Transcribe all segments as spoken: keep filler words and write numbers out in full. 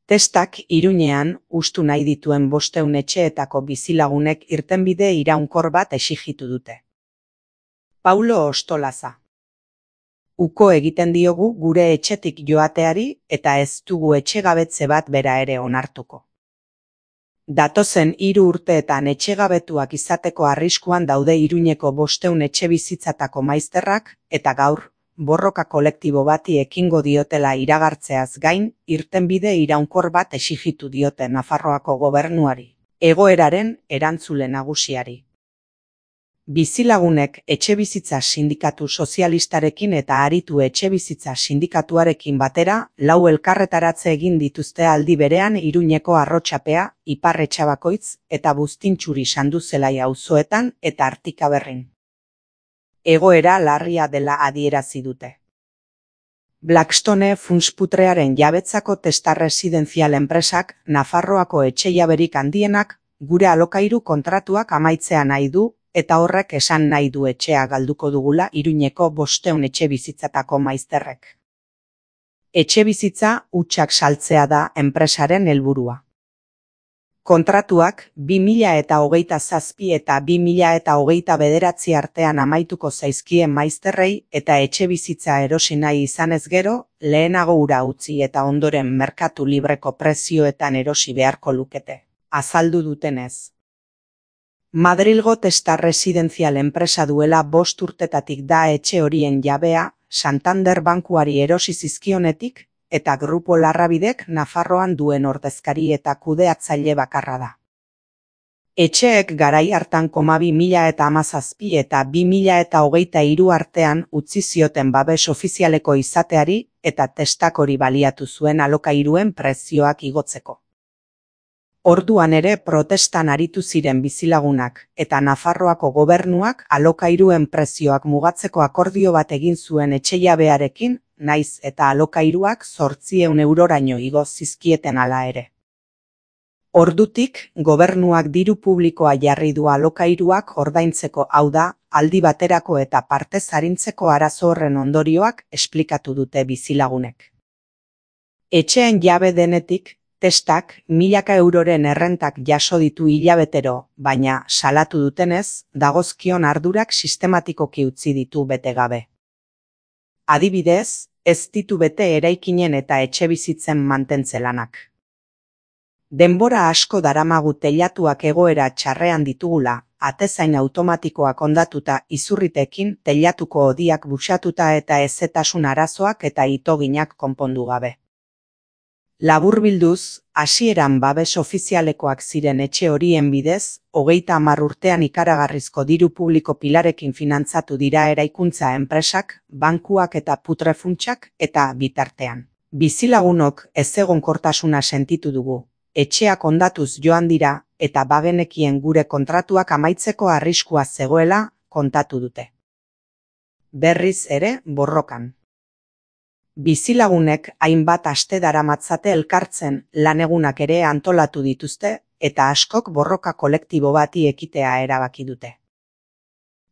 Testak Iruñean hustu nahi dituen bostehun etxeetako bizilagunek irtenbide iraunkor bat exijitu dute. Paulo Ostolaza. Uko egiten diogu gure etxetik joateari eta ez dugu etxegabetze bat bera ere onartuko. Datozen hiru urteetan etxegabetuak izateko arriskuan daude Iruñeko bostehun etxebizitzatako maizterrak eta gaur, borroka kolektibo bati ekingo diotela iragartzeaz gain, irtenbide iraunkor bat exijitu diote Nafarroako gobernuari, egoeraren erantzule nagusiari. Bizilagunek etxebizitza sindikatu sozialistarekin eta aritu etxebizitza sindikatuarekin batera, lau elkarretaratze egin dituzte aldi berean Iruñeko Arrotxapea, Ipar Etxabakoitz eta Buztintxuri Sanduzelai auzoetan eta Artikaberrin. Egoera larria dela adierazi dute. Blackstone funtsputrearen jabetzako Testa residenzial enpresak Nafarroako etxejaberik handienak gure alokairu kontratuak amaitzea nahi du, eta horrek esan nahi du etxea galduko dugula Iruñeko bostehun etxebizitzatako maizterrek. Etxebizitza hutsak saltzea da enpresaren helburua. Kontratuak bi mila eta hogeita zazpi eta bi mila eta hogeita bederatzi artean amaituko zaizkien maizterrei eta etxebizitza erosi nahi izanez gero, lehenago ura utzi eta ondoren merkatu libreko prezioetan erosi beharko lukete, azaldu dutenez. Madrilgo Testa residenzial enpresa duela bost urtetatik da etxe horien jabea, Santander bankuari erosi zizkionetik, eta Grupo Larrabidek Nafarroan duen ordezkari eta kudeatzaile bakarra da. Etxeek garai hartan koma bi mila eta hamazazpi eta bi mila eta hogeita hiru artean utzi zioten babes ofizialeko izateari eta Testak hori baliatu zuen alokairuen prezioak igotzeko. Orduan ere protestan aritu ziren bizilagunak eta Nafarroako gobernuak alokairuen prezioak mugatzeko akordio bat egin zuen etxejabearekin, naiz eta alokairuak zortziehun euroraino igo zizkieten hala ere. Ordutik, gobernuak diru publikoa jarri du alokairuak ordaintzeko, hau da, aldi baterako eta partez arintzeko arazo horren ondorioak esplikatu dute bizilagunek. Etxeen jabe denetik, Testak milaka euroren errentak jaso ditu hilabetero, baina salatu dutenez, dagozkion ardurak sistematikoki utzi ditu bete gabe. Adibidez, ez ditu bete eraikinen eta etxebizitzen mantentze lanak. Denbora asko daramagu teilatuak egoera txarrean ditugula, atezain automatikoak hondatuta izurritekin teilatuko hodiak buxatuta eta ezetasun arazoak eta itoginak konpondu gabe. Laburbilduz, hasieran babes ofizialekoak ziren etxe horien bidez, hogeita hamar urtean ikaragarrizko diru publiko pilarekin finantzatu dira eraikuntza enpresak, bankuak eta putrefuntsak eta bitartean. Bizilagunok ezegonkortasuna sentitu dugu, etxeak hondatuz joan dira eta bagenekien gure kontratuak amaitzeko arriskua zegoela kontatu dute. Berriz ere borrokan. Bizilagunek hainbat aste daramatzate elkartzen lanegunak ere antolatu dituzte eta askok borroka kolektibo bati ekitea erabaki dute.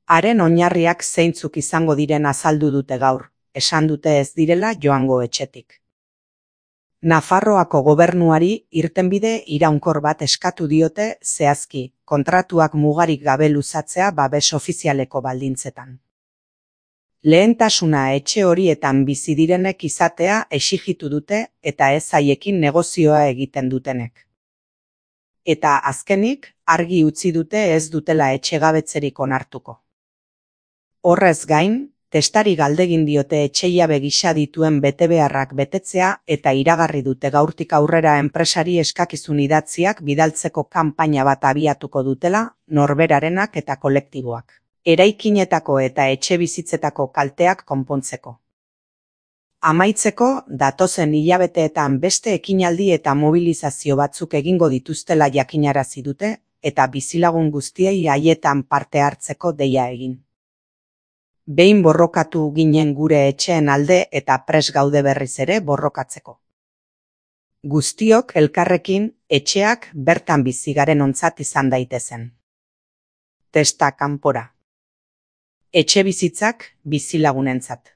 Haren oinarriak zeintzuk izango diren azaldu dute gaur, esan dute ez direla joango etxetik. Nafarroako gobernuari irtenbide iraunkor bat eskatu diote zehazki, kontratuak mugarik gabe luzatzea babes ofizialeko baldintzetan. Lehentasuna etxe horietan bizi direnek izatea exijitu dute eta ez haiekin negozioa egiten dutenek. Eta azkenik, argi utzi dute ez dutela etxegabetzerik onartuko. Horrez gain, Testari galdegin diote etxejabe gisa dituen betebeharrak betetzea eta iragarri dute gaurtik aurrera enpresari eskakizun idatziak bidaltzeko kanpaina bat abiatuko dutela, norberarenak eta kolektiboak. Eraikinetako eta etxebizitzetako kalteak konpontzeko. Amaitzeko, datozen hilabeteetan beste ekinaldi eta mobilizazio batzuk egingo dituztela jakinarazi dute eta bizilagun guztiei haietan parte hartzeko deia egin. Behin borrokatu ginen gure etxeen alde eta pres gaude berriz ere borrokatzeko. Guztiok elkarrekin etxeak bertan bizi garen ontzat izan daitezen. Testa kanpora. Etxebizitzak bizilagunentzat.